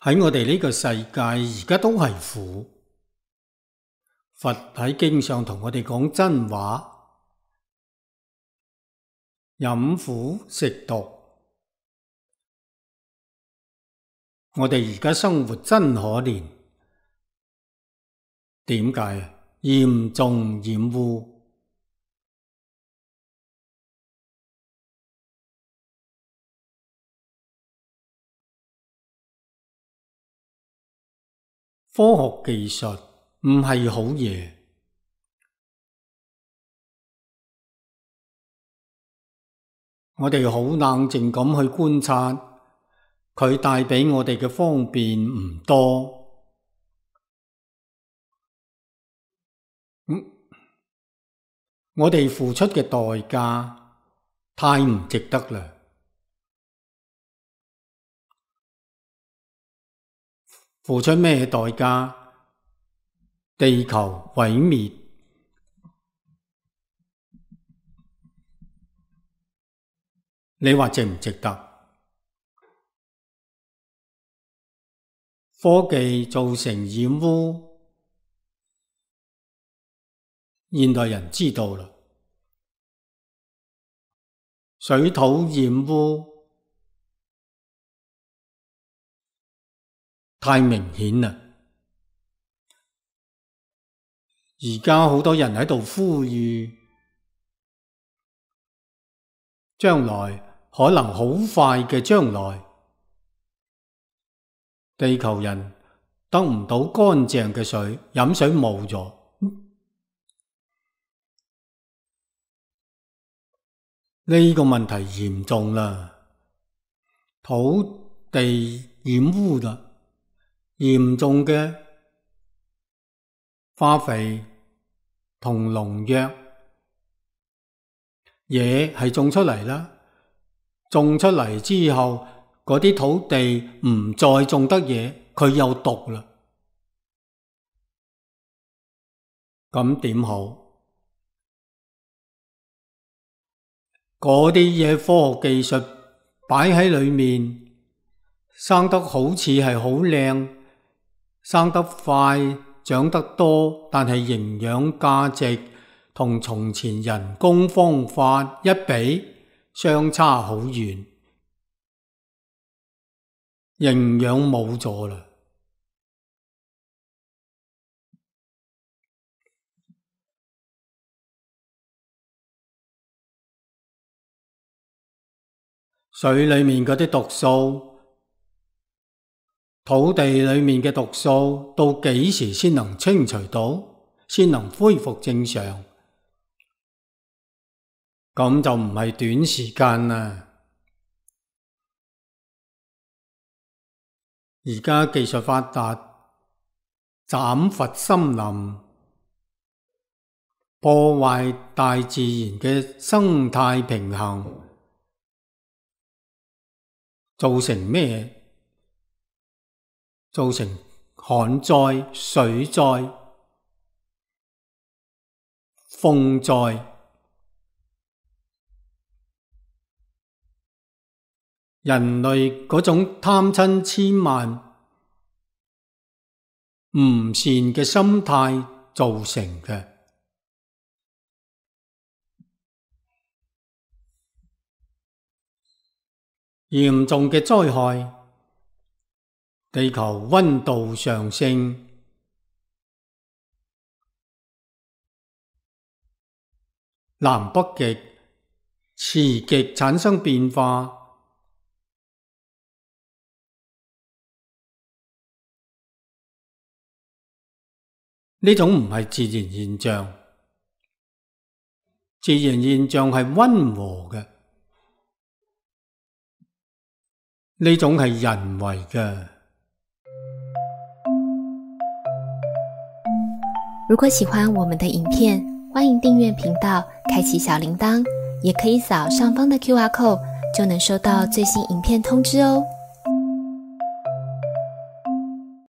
喺我哋呢個世界而家都係苦。佛喺經上同我哋講真話，飲苦食毒。我哋而家生活真可憐，點解？嚴重染污。科學技術唔係好嘢，我哋好冷靜咁去觀察，佢帶畀我哋嘅方便唔多。我哋付出嘅代價太唔值得啦。付出咩代價？地球毀滅。你話值唔值得？科技造成染污，現代人知道啦。水土染污太明顯啦！而家好多人喺度呼籲，將來可能好快嘅將來，地球人得唔到乾淨嘅水，飲水冇咗。呢個問題嚴重啦，土地染污啦。嚴重嘅化肥同農藥，嘢係種出嚟啦，種出嚟之後，嗰啲土地唔再種得嘢，佢有毒啦。咁點好？嗰啲嘢科學技術擺喺裏面，生得好似係好靚，生得快，長得多，但係營養價值同從前人工方法一比，相差好遠，營養冇咗啦。水裏面嗰啲毒素，土地裏面嘅毒素到幾時先能清除到，先能恢復正常？咁就唔係短時間啦。而家技術發達，斬伐森林，破壞大自然嘅生態平衡，造成咩？造成旱災、水災、風災。人類嗰種貪嗔癡慢、唔善嘅心態造成嘅。嚴重嘅災害，地球溫度上升，南北極、磁極產生變化，呢種唔係自然現象，自然現象係溫和嘅，呢種係人為嘅。如果喜歡我們的影片，歡迎訂閱頻道，開啟小鈴鐺，也可以掃上方的QR code，就能收到最新影片通知哦。